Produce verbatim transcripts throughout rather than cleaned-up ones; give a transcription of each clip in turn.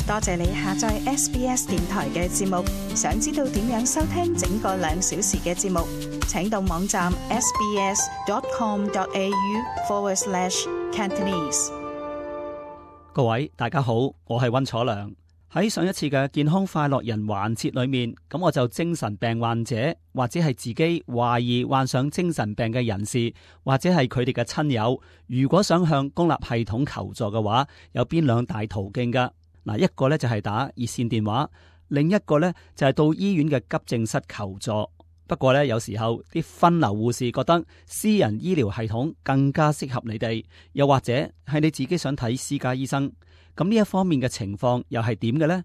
多謝你下載 S B S 電台嘅節目。想知道點樣收聽整個兩小時嘅節目，請到網站 sbs.com.au forward slash Cantonese。各位大家好，我係溫楚良。喺上一次嘅健康快樂人環節裏面，咁我就精神病患者或者係自己懷疑患上精神病嘅人士，或者係佢哋嘅親友，如果想向公立系統求助嘅話，有邊兩大途徑噶？嗱，一個咧就係打熱線電話，另一個咧就係到醫院嘅急症室求助。不過咧，有時候啲分流護士覺得私人醫療系統更加適合你哋，又或者係你自己想睇私家醫生。咁呢一方面嘅情況又係點嘅呢？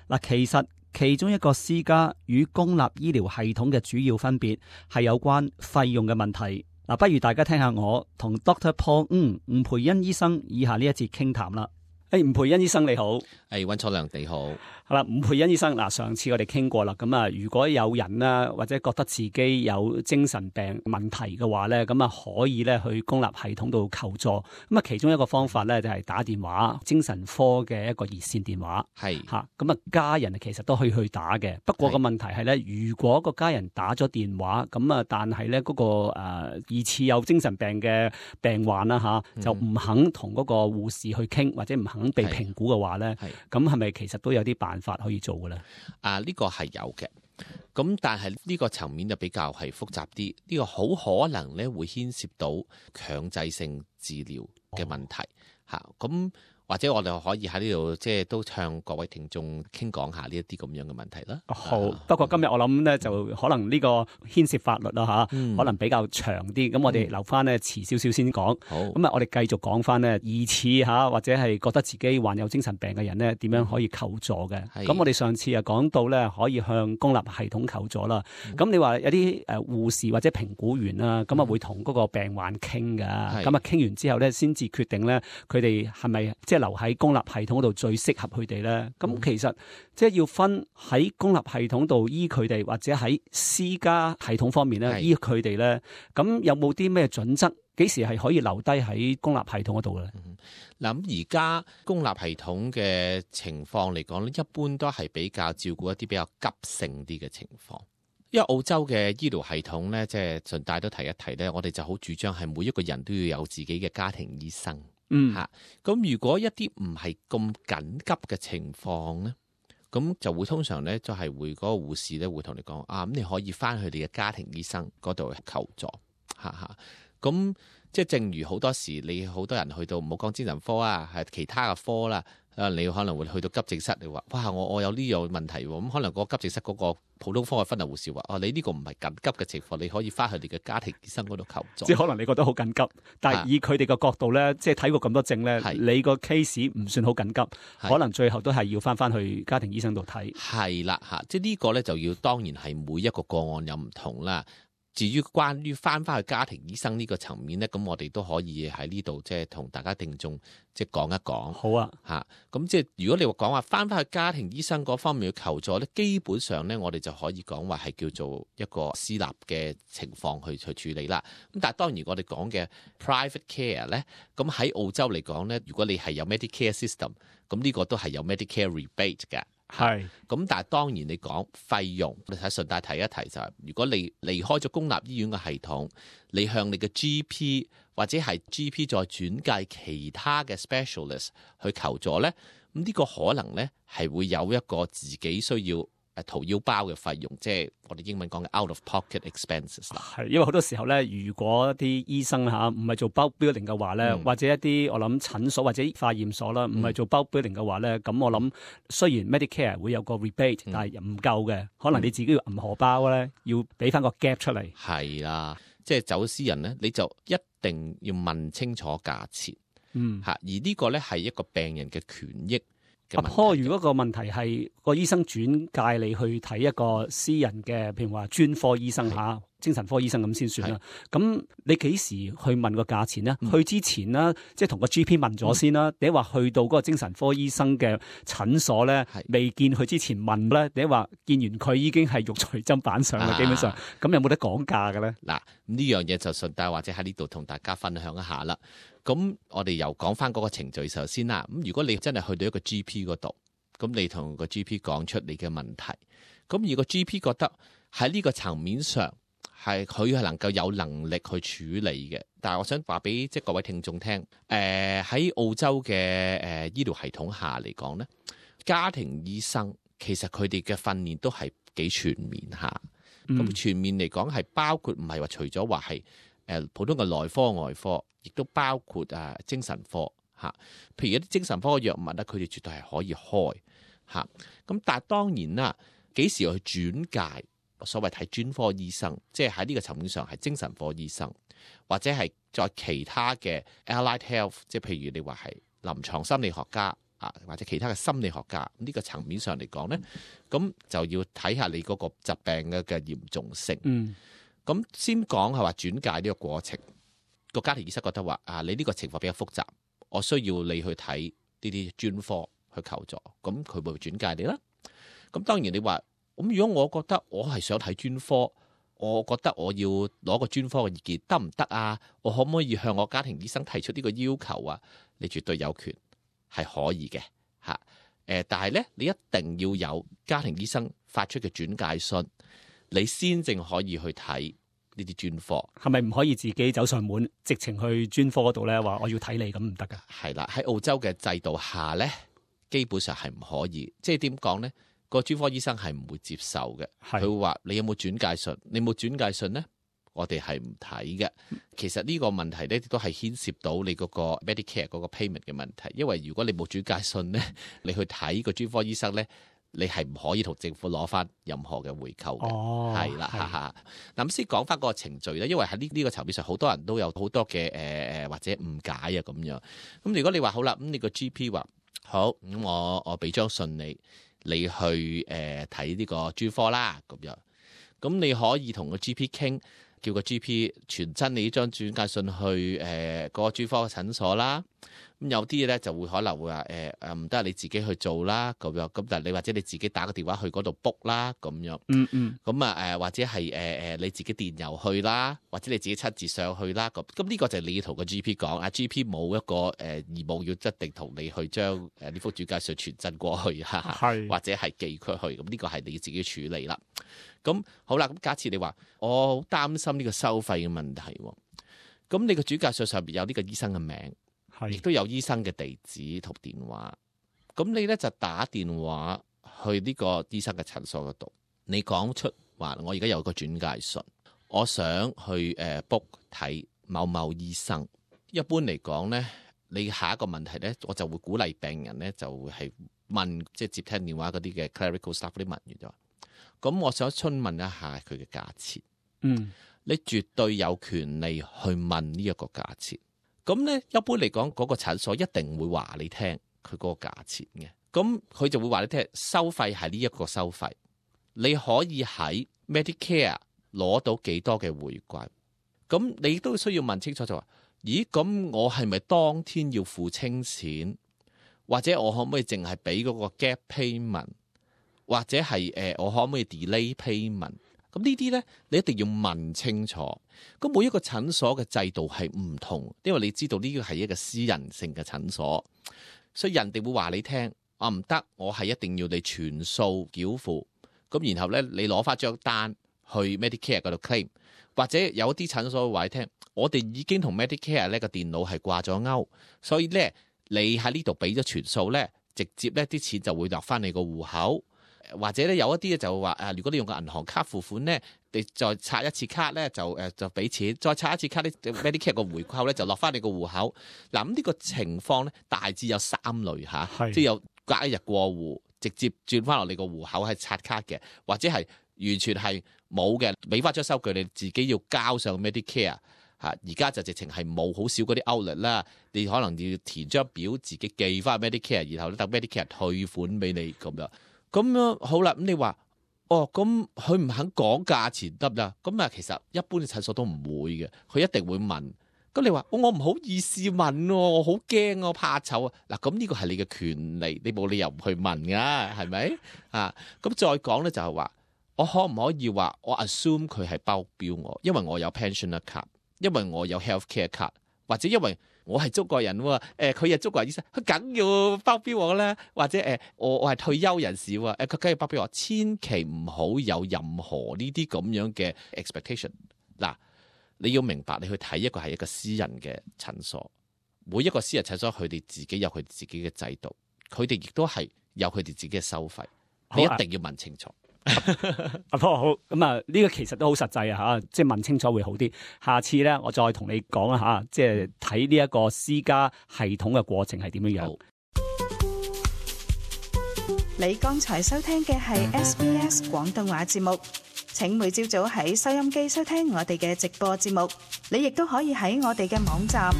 嗱，其實其中一個私家與公立醫療系統嘅主要分別係有關費用嘅問題。嗱，不如大家聽下我同 Doctor Paul 吳吳培恩醫生以下呢一節傾談啦。誒，吳培恩醫生你好。誒，溫楚良你好。係啦，吳培恩醫生，嗱，上次我哋傾過啦，咁啊，如果有人啦，或者覺得自己有精神病問題嘅話咧，咁啊可以咧去公立系統度求助。咁啊，其中一個方法咧就係打電話，精神科嘅一個熱線電話。係吓，咁啊家人其實都可以去打嘅。不過個問題係咧，如果個家人打咗電話，咁啊，但係咧嗰個誒疑似有精神病嘅病患啦吓，就唔肯同嗰個護士去傾，或者唔肯被評估嘅話咧，咁係咪其實都有啲辦法可以做嘅咧？啊，呢、這個係有嘅，咁但係呢個層面就比較係複雜啲，呢、這個好可能咧會牽涉到強制性治療嘅問題吓，咁、哦。或者我哋可以喺呢度即係都向各位聽眾傾講下呢一啲咁樣嘅問題啦。好，啊、不過今日我諗咧就可能呢個牽涉法律啦吓、嗯，可能比較長啲。咁我哋留翻咧遲少少先講。好，咁啊我哋繼續講翻咧疑似吓或者係覺得自己患有精神病嘅人咧點樣可以求助嘅。咁我哋上次啊講到咧可以向公立系統求助啦。咁、嗯、你話有啲誒護士或者評估員啦，咁啊會同嗰個病患傾噶。咁啊傾完之後咧先至決定咧佢哋係咪即係留喺公立系統度最適合佢哋咧，咁、嗯、其實即係要分喺公立系統度醫佢哋，或者喺私家系統方面咧醫佢哋咧，咁有冇啲咩準則？幾時係可以留低喺公立系統嗰度咧？嗱、嗯，咁而家公立系統嘅情況嚟講咧，一般都係比較照顧一啲比較急性啲嘅情況。因為澳洲嘅醫療系統咧，即係順帶都提一提咧，我哋就好主張係每一個人都要有自己嘅家庭醫生。嗯，吓，咁如果一啲唔係咁緊急嘅情況咧，咁就會通常咧就係會嗰個護士咧會同你講啊，咁你可以翻去你嘅家庭醫生嗰度求助，吓吓，咁即係正如好多時你好多人去到唔好講精神科啊，係其他嘅科啦。啊！你可能會去到急症室，你話哇，我我有呢樣問題喎，咁可能個急症室嗰個普通科嘅分流護士話：哦，你呢個唔係緊急嘅情況，你可以翻去你嘅家庭醫生嗰度求助。即係可能你覺得好緊急，但係以佢哋嘅角度咧，即係睇過咁多症咧，你個 case 唔算好緊急，可能最後都係要翻翻去家庭醫生度睇。係啦，嚇！即係呢個咧就要當然係每一個個案有唔同啦。至於關於翻翻去家庭醫生呢個層面咧，咁我哋都可以喺呢度即係同大家聽眾即係講一講。好啊，嚇！咁即係如果你話講話翻翻去家庭醫生嗰方面嘅求助咧，基本上咧我哋就可以講話係叫做一個私立嘅情況去去處理啦。咁但係當然我哋講嘅 private care 咧，咁喺澳洲嚟講咧，如果你係有 Medicare system，咁呢個都係有 Medicare rebate 嘅。係，咁但係當然你講費用，你睇順帶提一提就係、是，如果你離開咗公立醫院嘅系統，你向你嘅 G P 或者係 G P 再轉介其他嘅 specialist 去求助咧，咁呢個可能咧係會有一個自己需要誒掏腰包嘅費用，即係我哋英文講嘅 out of pocket expenses 啦。係，因為好多時候咧，如果啲醫生嚇唔係做 bulk billing 嘅話咧、嗯，或者一啲我諗診所或者化驗所啦，唔係做 bulk billing 嘅話咧，咁、嗯、我諗雖然 Medicare 會有個 rebate，、嗯、但係唔夠嘅，可能你自己要揞荷包咧，要俾翻個 gap 出嚟。係啦，即係走私人咧，你就一定要問清楚價錢。嗯，嚇，而呢個咧係一個病人嘅權益。阿婆，如果個問題係個醫生轉介你去睇一個私人嘅，譬如話專科醫生嚇，精神科醫生咁先算啦。咁你幾時去問個價錢呢？嗯、去之前啦，即係同個 G P 問咗先啦。你話去到嗰個精神科醫生嘅診所咧，未見佢之前問咧，你話見完佢已經係肉隨砧板上啦、啊，基本上咁有冇得講價嘅咧？嗱，呢樣嘢就順帶或者喺呢度同大家分享一下啦。咁我哋又講翻嗰個程序時候先啦。咁如果你真係去到一個 G P 嗰度咁你同個 G P 講出你嘅問題，咁如果 G P 覺得喺呢個層面上係佢係能夠有能力去處理嘅，但係我想話俾即係各位聽眾聽，誒、呃、喺澳洲嘅誒、呃、醫療系統下嚟講咧，家庭醫生其實佢哋嘅訓練都係幾全面下，咁、嗯、全面嚟講係包括唔係話除咗話係誒普通嘅內科外科，亦都包括啊精神科嚇，譬如一啲精神科嘅藥物咧，佢哋絕對係可以開嚇，咁但係當然啦，幾時去轉介？所謂睇專科醫生，即係喺呢個層面上係精神科醫生，或者係在其他嘅 allied health， 即係譬如你話係臨床心理學家啊，或者其他嘅心理學家呢、這個層面上嚟講咧，咁就要睇下你嗰個疾病嘅嘅嚴重性。嗯，咁先講係話轉介呢個過程，個家庭醫生覺得話啊，你呢個情況比較複雜，我需要你去睇呢啲專科去求助，咁佢會轉介你啦。咁當然你話。咁如果我覺得我係想睇專科，我覺得我要攞個專科嘅意見得唔得啊？我可唔可以向我家庭醫生提出呢個要求啊？你絕對有權係可以嘅嚇。誒，但係咧，你一定要有家庭醫生發出嘅轉介信，你先正可以去睇呢啲專科。係咪唔可以自己走上門，直情去專科嗰度咧？話我要睇你咁唔得噶？係啦，喺澳洲嘅制度下咧，基本上係唔可以。即係點講咧？個專科醫生係唔會接受嘅，佢會話你有冇轉介信？你冇轉介信咧，我哋係唔睇嘅。其實呢個問題咧都係牽涉到你嗰個 Medicare 嗰個 payment 嘅問題，因為如果你冇轉介信咧，你去睇個專科醫生咧，你係唔可以同政府攞翻任何嘅回扣嘅。哦，係啦，哈哈。嗱，咁先講翻嗰個程序咧，因為喺呢呢個層面上，好多人都有好多嘅誒誒或者誤解啊咁樣。咁如果你話好啦，咁你個 G P 話好，咁我我俾張信你。你去誒睇呢個專科啦，咁樣，咁你可以同個 G P 傾，叫個 G P 傳真你呢張轉介信去誒嗰、呃那個專科嘅診所啦。咁有啲嘢咧就會可能會話誒誒唔得，你自己去做啦，咁樣。咁但係你或者你自己打個電話去嗰度 book 啦，咁樣。嗯嗯。咁啊誒或者係誒誒你自己電郵去啦，或者你自己親自上去啦。咁咁呢個就係你要同個 G P 講，啊 G P 冇一個誒、呃、義務要一定同你去將誒呢幅轉介信傳真過去嚇，或者係寄佢去。咁呢個係你自己處理啦。咁好啦，咁假設你話我好擔心呢個收費嘅問題喎，咁你個轉介信上邊有呢個醫生嘅名。亦都有醫生嘅地址同電話，咁你咧就打電話去呢個醫生嘅診所嗰度，你講出話我而家有個轉介信，我想去誒 book 睇某某醫生。一般嚟講咧，你下一個問題咧，我就會鼓勵病人咧就會係問，即係接聽電話嗰啲嘅 clerical staff 啲問完咗，咁我想詢問一下佢嘅價錢。嗯，你絕對有權利去問呢一個價錢。咁咧，一般嚟講，嗰個診所一定會話你聽佢嗰個價錢嘅。咁佢就會話你聽，收費係呢一個收費。你可以喺 Medicare 攞到幾多嘅回饋。咁你都需要問清楚就話，咦？咁我係咪當天要付清錢，或者我可唔可以淨係俾嗰個 gap payment，或者係誒我可唔可以 delay payment？咁呢啲咧，你一定要問清楚。咁每一個診所嘅制度係唔同，因為你知道呢個係一個私人性嘅診所，所以人哋會話你聽，啊唔得，我係一定要你全數繳付。咁然後咧，你攞翻張單去 Medicare 嗰度 claim， 或者有一啲診所會話你聽，我哋已經同 Medicare 呢個電腦係掛咗鈎，所以咧你喺呢度俾咗全數咧，直接咧啲錢就會落翻你個戶口。或者咧有一啲咧就話誒，如果你用個銀行卡付款咧，你再刷一次卡咧就誒就俾錢，再刷一次卡咧 Medicare 個回扣咧就落翻你個戶口。嗱咁呢個情況咧大致有三類嚇，即係有隔一日過戶，直接轉翻落你個戶口係刷卡嘅，或者係完全係冇嘅，俾翻張收據你自己要交上 Medicare 嚇。而家就直情係冇好少嗰啲 outlet 啦，你可能要填張表自己寄翻 Medicare， 然後咧等 Medicare 退款俾你咁樣。咁樣好啦，咁你話哦，咁佢唔肯講價錢得唔得？咁啊，其實一般嘅診所都唔會嘅，佢一定會問。咁你話、哦、我唔好意思問喎，我好驚，我怕醜啊。嗱，咁呢個係你嘅權利，你冇理由唔去問噶，係咪啊？咁再講咧就係話，我可唔可以話我 assume 佢係包標我，因為我有 pensioner card，因為我有 healthcare card，或者因為我係中國人喎，誒佢係中國人醫生，佢梗要包庇我啦，或者誒、呃、我我係退休人士喎，誒佢梗要包庇我，千祈唔好有任何呢啲咁樣嘅 expectation。嗱，你要明白，你去睇一個係一個私人嘅診所，每一個私人診所佢哋自己有佢自己嘅制度，佢哋亦都係有佢哋自己嘅收費，你一定要問清楚。阿波好，咁啊呢個其實都好實際啊吓，即係問清楚會好啲。下次咧，我再同你講啊吓，即係睇呢一個私家系統嘅過程係點樣樣。你剛才收聽嘅係 S B S 廣東話節目，請每朝早喺收音機收聽我哋嘅直播節目。你亦都可以喺我哋嘅網站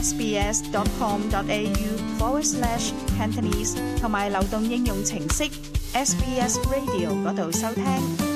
sbs.com.au forward slash Cantonese 同埋流動應用程式 S B S Radio 嗰度收聽。